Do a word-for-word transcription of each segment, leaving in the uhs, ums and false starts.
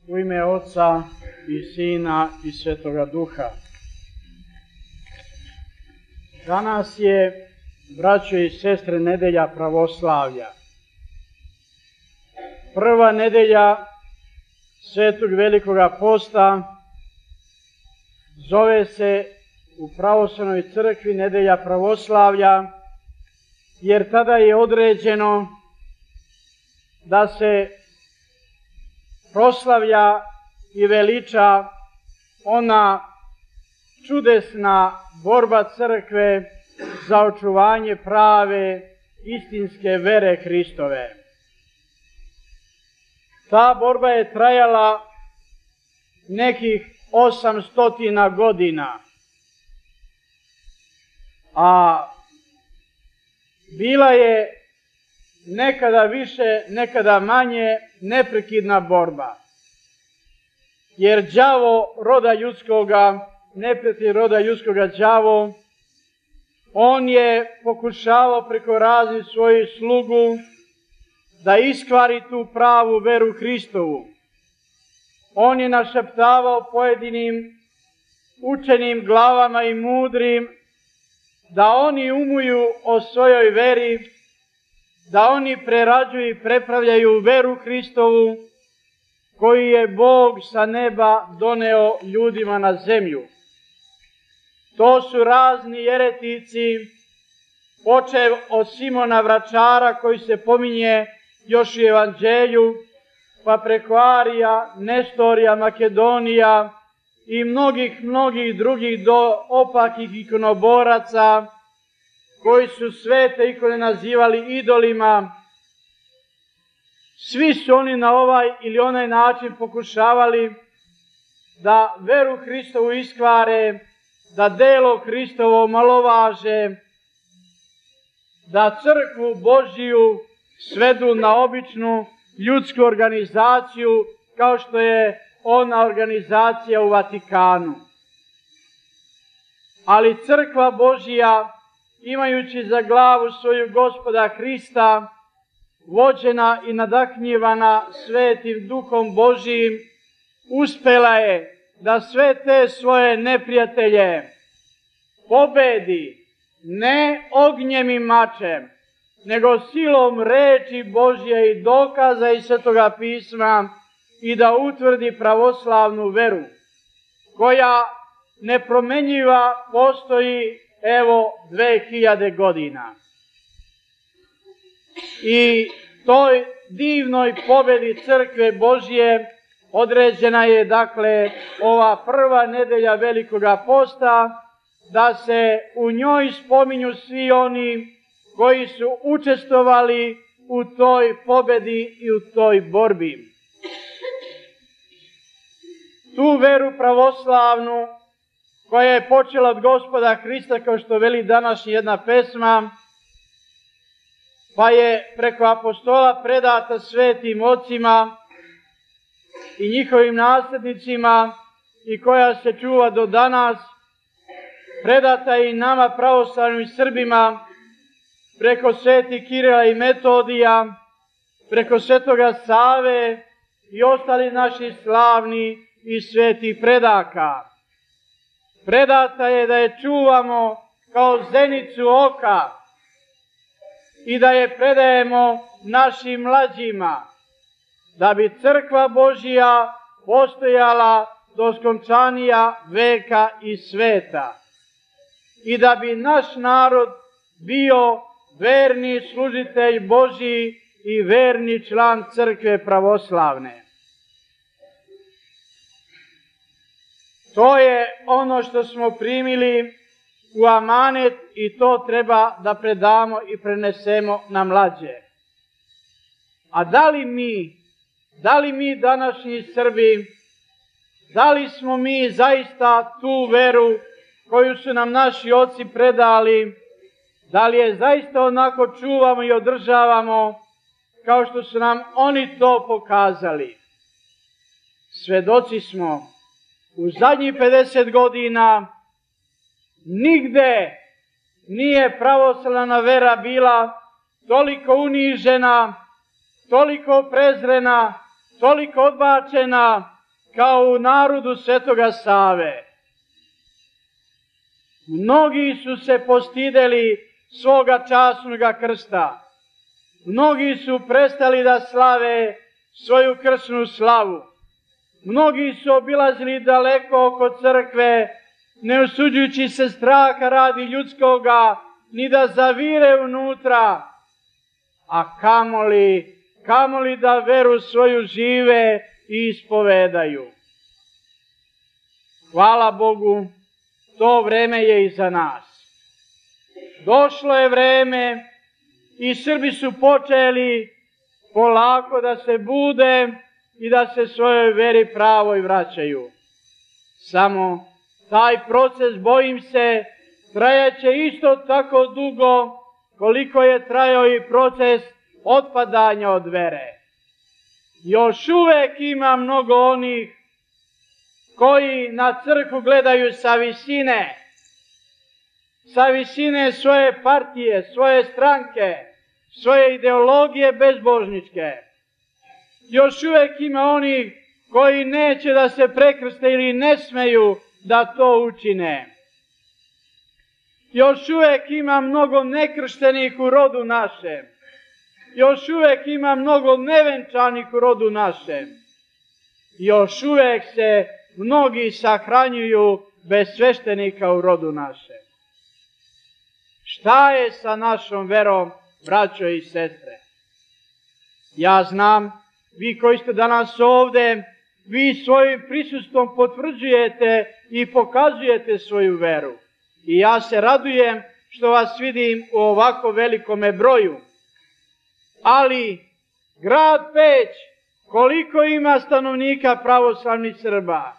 U ime Oca i Sina i Svetoga Duha. Danas je, braćo i sestre, nedelja pravoslavlja. Prva nedelja Svetog Velikoga posta zove se u pravoslavnoj crkvi nedelja pravoslavlja, jer tada je određeno da se proslavlja i veliča ona čudesna borba crkve za očuvanje prave istinske vere Hristove. Ta borba je trajala nekih osamstotina godina, a bila je nekada više, nekada manje neprekidna borba. Jer đavo roda ljudskoga, neprijatelj roda ljudskoga đavo, on je pokušavao preko raznih svojih slugu da iskvari tu pravu veru Hristovu. On je našeptavao pojedinim učenim glavama i mudrim da oni umuju o svojoj veri, da oni prerađuju i prepravljaju veru Hristovu koju je Bog sa neba doneo ljudima na zemlju. To su razni jeretici, počev od Simona Vračara koji se pominje još u Evanđelju, pa preko Arija, Nestorija, Makedonija i mnogih, mnogih drugih do opakih ikonoboraca koji su svete ikone nazivali idolima. Svi su oni na ovaj ili onaj način pokušavali da veru Hristovu iskvare, da delo Hristovo omalovaže, da crkvu Božiju svedu na običnu ljudsku organizaciju kao što je ona organizacija u Vatikanu. Ali crkva Božija, imajući za glavu svoju Gospoda Hrista, vođena i nadahnjivana Svetim Duhom Božijim, uspela je da sve te svoje neprijatelje pobedi ne ognjem i mačem, nego silom reči Božje i dokaza iz Svetoga pisma i da utvrdi pravoslavnu veru, koja nepromenjiva postoji evo dve hiljade godina. I toj divnoj pobedi crkve Božje određena je dakle ova prva nedelja Velikoga posta, da se u njoj spominju svi oni koji su učestvovali u toj pobedi i u toj borbi. Tu veru pravoslavnu, koja je počela od Gospoda Hrista, kao što veli današnja jedna pesma, pa je preko apostola predata svetim ocima i njihovim nasljednicima i koja se čuva do danas, predata je i nama pravoslavnim Srbima preko svetih Kirila i Metodija, preko svetoga Save i ostali naši slavni i svetih predaka. Predata je da je čuvamo kao zenicu oka i da je predajemo našim mlađima, da bi crkva Božija postojala do skončanija veka i sveta i da bi naš narod bio verni služitelj Božji i verni član crkve pravoslavne. To je ono što smo primili u amanet i to treba da predamo i prenesemo na mlađe. A da li mi, da li mi današnji Srbi, da li smo mi zaista tu veru koju su nam naši oci predali, da li je zaista onako čuvamo i održavamo kao što su nam oni to pokazali? Svedoci smo, u zadnjih pedeset godina nigde nije pravoslavna vera bila toliko unižena, toliko prezrena, toliko odbačena kao u narodu Svetoga Save. Mnogi su se postideli svoga časnoga krsta. Mnogi su prestali da slave svoju krsnu slavu. Mnogi su obilazili daleko oko crkve, ne usuđujući se straha radi ljudskoga, ni da zavire unutra, a kamoli, kamoli da veru svoju žive i ispovedaju. Hvala Bogu, to vreme je iza nas. Došlo je vreme i Srbi su počeli polako da se bude i da se svojoj veri pravoj vraćaju. Samo taj proces, bojim se, trajaće isto tako dugo koliko je trajao i proces otpadanja od vere. Još uvek ima mnogo onih koji na crkvu gledaju sa visine, sa visine svoje partije, svoje stranke, svoje ideologije bezbožničke. Još uvek ima onih koji neće da se prekrste ili ne smeju da to učine. Još uvek ima mnogo nekrštenih u rodu našem. Još uvek ima mnogo nevenčanih u rodu našem. Još uvek se mnogi sahranjuju bez sveštenika u rodu našem. Šta je sa našom verom, braćo i sestre? Ja znam, vi koji ste danas ovde, vi svojim prisustvom potvrđujete i pokazujete svoju veru. I ja se radujem što vas vidim u ovako velikome broju. Ali, grad Peć, koliko ima stanovnika pravoslavnih Srba?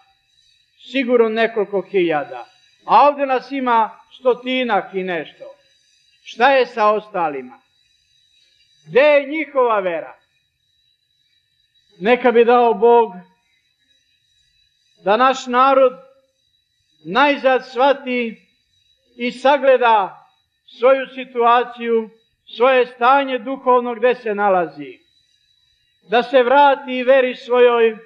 Sigurno nekoliko hiljada. A ovde nas ima stotinak i nešto. Šta je sa ostalima? Gde je njihova vera? Neka bi dao Bog da naš narod najzad shvati i sagleda svoju situaciju, svoje stanje duhovno gde se nalazi. Da se vrati veri svojoj,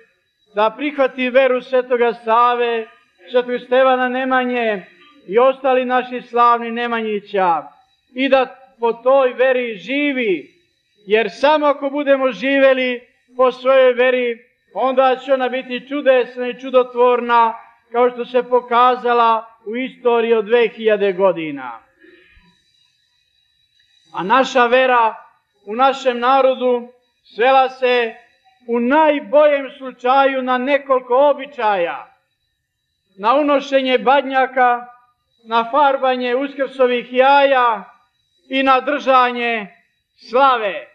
da prihvati veru Svetoga Save, Svetog Stevana Nemanje i ostali naši slavni Nemanjića i da po toj veri živi, jer samo ako budemo živeli po svojoj veri, onda će ona biti čudesna i čudotvorna, kao što se pokazala u istoriji od dve hiljade godina. A naša vera u našem narodu svela se u najboljem slučaju na nekoliko običaja. Na unošenje badnjaka, na farbanje uskrsovih jaja i na držanje slave,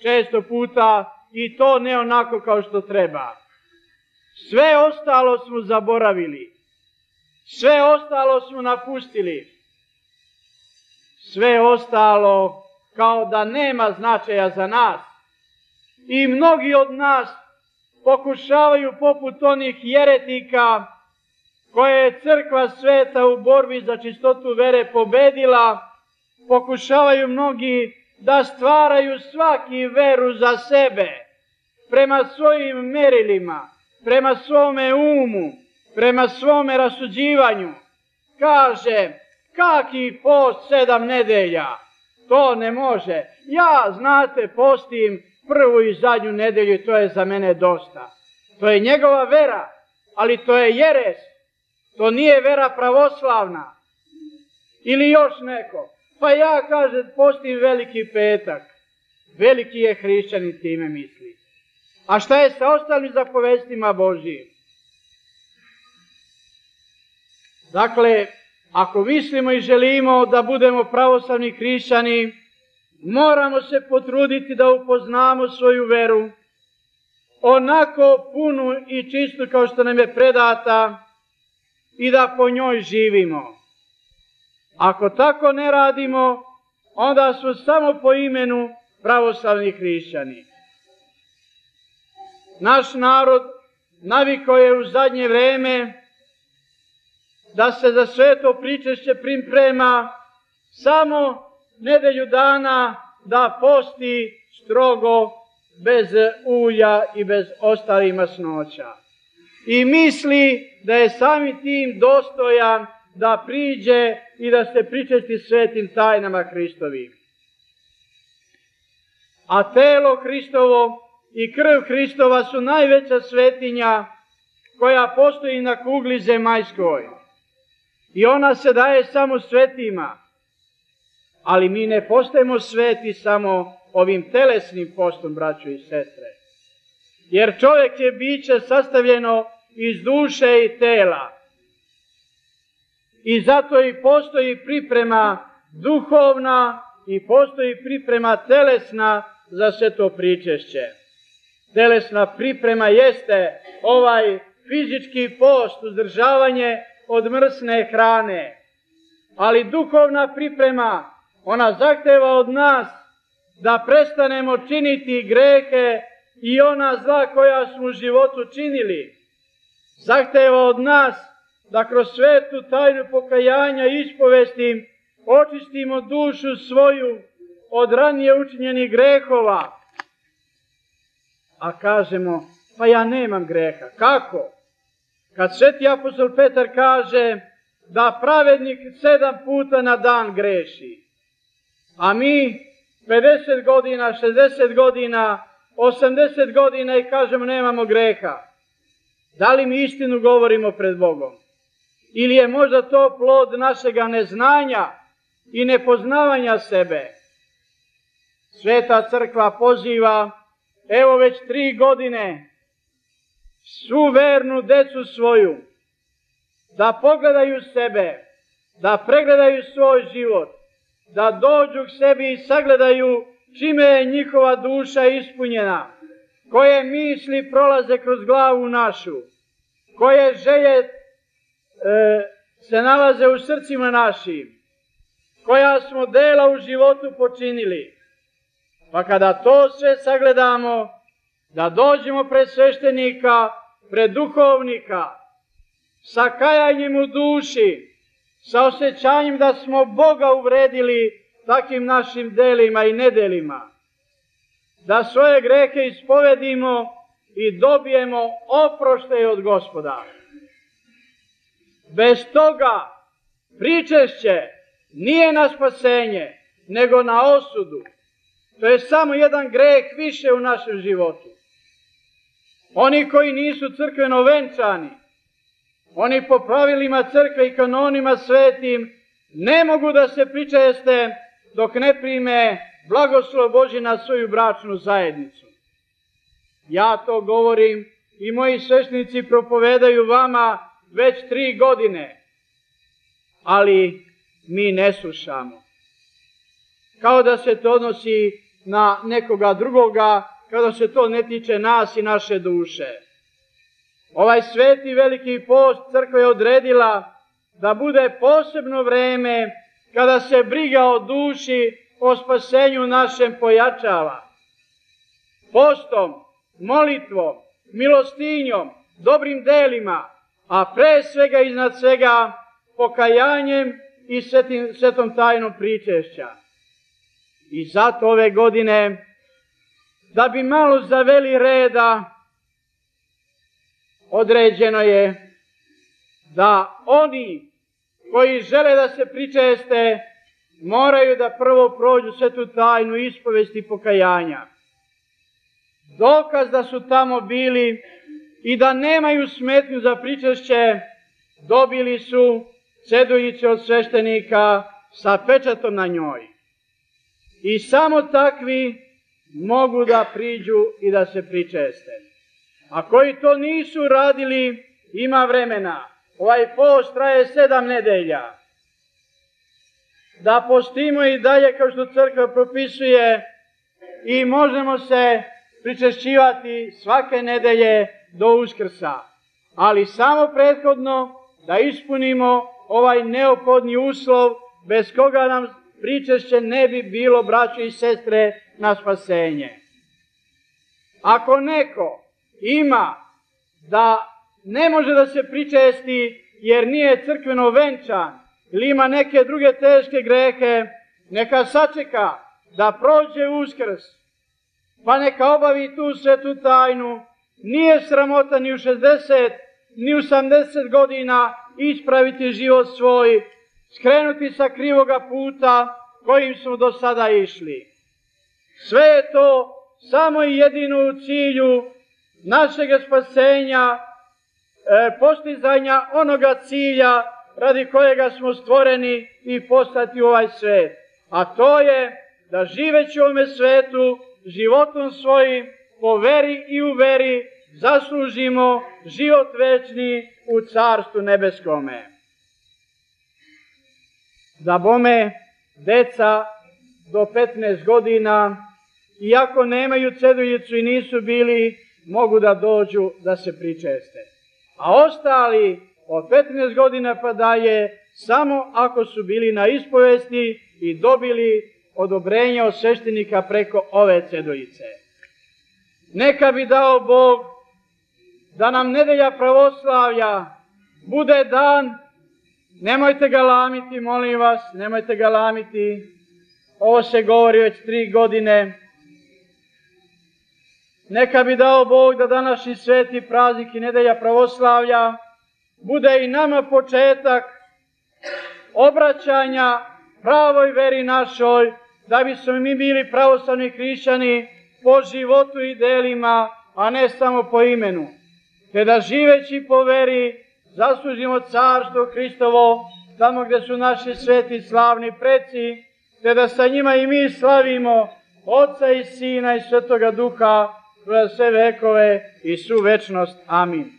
često puta i to ne onako kao što treba. Sve ostalo smo zaboravili. Sve ostalo smo napustili. Sve ostalo kao da nema značaja za nas. I mnogi od nas pokušavaju poput onih jeretika koje je crkva sveta u borbi za čistotu vere pobedila, pokušavaju mnogi da stvaraju svaki veru za sebe, prema svojim merilima, prema svome umu, prema svome rasuđivanju. Kaže, kaki post sedam nedelja? To ne može. Ja, znate, postim prvu i zadnju nedelju i to je za mene dosta. To je njegova vera, ali to je jeres. To nije vera pravoslavna. Ili još neko. Pa ja, kaže, postim veliki petak. Veliki je hrišćanin, time misli. A šta je sa ostalim zapovestima Božijim? Dakle, ako mislimo i želimo da budemo pravoslavni hrišćani, moramo se potruditi da upoznamo svoju veru, onako punu i čistu kao što nam je predata i da po njoj živimo. Ako tako ne radimo, onda smo samo po imenu pravoslavni hrišćani. Naš narod navikao je u zadnje vreme da se za sveto pričešće priprema samo nedelju dana, da posti strogo bez ulja i bez ostalih masnoća. i misli da je samim tim dostojan da priđe i da se pričesti svetim tajnama Hristovim. A telo Hristovo i krv Hristova su najveća svetinja koja postoji na kugli zemaljskoj. I ona se daje samo svetima. Ali mi ne postajemo sveti samo ovim telesnim postom, braćo i sestre. Jer čovjek je biće sastavljeno iz duše i tela. I zato i postoji priprema duhovna i postoji priprema telesna za sve to pričešće. Telesna priprema jeste ovaj fizički post, uzdržavanje od mrsne hrane. Ali duhovna priprema, ona zahteva od nas da prestanemo činiti grehe i ona zla koja smo u životu činili. Zahteva od nas da kroz svetu tajnu pokajanja i ispovesti očistimo dušu svoju od ranije učinjenih grehova. A kažemo, pa ja nemam greha. Kako? Kad sveti apostol Petar kaže da pravednik sedam puta na dan greši, a mi pedeset godina, šezdeset godina, osamdeset godina i kažemo nemamo greha. Da li mi istinu govorimo pred Bogom? Ili je možda to plod našega neznanja i nepoznavanja sebe? Sveta crkva poziva, evo već tri godine, svu vernu decu svoju, da pogledaju sebe, da pregledaju svoj život, da dođu k sebi i sagledaju čime je njihova duša ispunjena, koje misli prolaze kroz glavu našu, koje želje e, se nalaze u srcima našim, koja smo dela u životu počinili. Pa kada to sve sagledamo, da dođemo pred sveštenika, pred duhovnika, sa kajanjem u duši, sa osjećanjem da smo Boga uvredili takim našim delima i nedelima, da svoje grehe ispovedimo i dobijemo oproštaj od Gospoda. Bez toga pričešće nije na spasenje, nego na osudu. To je samo jedan greh više u našem životu. Oni koji nisu crkveno venčani, oni po pravilima crkve i kanonima svetim ne mogu da se pričeste dok ne prime blagoslov Božji na svoju bračnu zajednicu. Ja to govorim i moji sveštenici propovedaju vama već tri godine, ali mi ne slušamo. Kao da se to odnosi na nekoga drugoga, kao da se to ne tiče nas i naše duše. Ovaj sveti veliki post crkva je odredila da bude posebno vreme kada se briga o duši, o spasenju našem pojačava. Postom, molitvom, milostinjom, dobrim delima, a pre svega iznad svega pokajanjem i svetim, svetom tajnom pričešća. I zato ove godine, da bi malo zaveli reda, određeno je da oni koji žele da se pričeste moraju da prvo prođu svetu tajnu ispovesti pokajanja. Dokaz da su tamo bili i da nemaju smetnju za pričešće dobili su ceduljice od sveštenika sa pečatom na njoj. I samo takvi mogu da priđu i da se pričeste. A koji to nisu radili, ima vremena. Ovaj post traje sedam nedelja. Da postimo i dalje kao što crkva propisuje i možemo se pričešćivati svake nedelje do Uskrsa. Ali samo prethodno da ispunimo ovaj neophodni uslov bez koga nam pričešće ne bi bilo, braćo i sestre, na spasenje. Ako neko ima da ne može da se pričesti jer nije crkveno venčan ili ima neke druge teške grehe, neka sačeka da prođe Uskrs, pa neka obavi tu svetu tajnu. Nije sramota ni u šezdeset, ni u sedamdeset godina ispraviti život svoj, skrenuti sa krivoga puta kojim smo do sada išli. Sve je to samo i jedino u cilju našeg spasenja, e, postizanja onoga cilja radi kojega smo stvoreni i poslati u ovaj svet. A to je da živeći u ovome svetu, životom svojim, po veri i u veri, zaslužimo život večni u Carstvu nebeskome. Da bome, deca do petnaest godina, iako nemaju ceduljicu i nisu bili, mogu da dođu da se pričeste. A ostali od petnaest godina pa dalje, samo ako su bili na ispovesti i dobili odobrenje od sveštenika preko ove ceduljice. Neka bi dao Bog da nam nedelja pravoslavlja bude dan, nemojte ga lamiti, molim vas, nemojte ga lamiti, ovo se govori već tri godine. Neka bi dao Bog da današnji sveti praznik i nedelja pravoslavlja bude i nama početak obraćanja pravoj veri našoj, da bismo mi bili pravoslavni hrišćani po životu i delima, a ne samo po imenu. Te da živeći po veri zaslužimo Carstvo Hristovo, tamo gde su naši sveti slavni preci, te da sa njima i mi slavimo Oca i Sina i Svetoga Duha kroz sve vekove i svu večnost. Amin.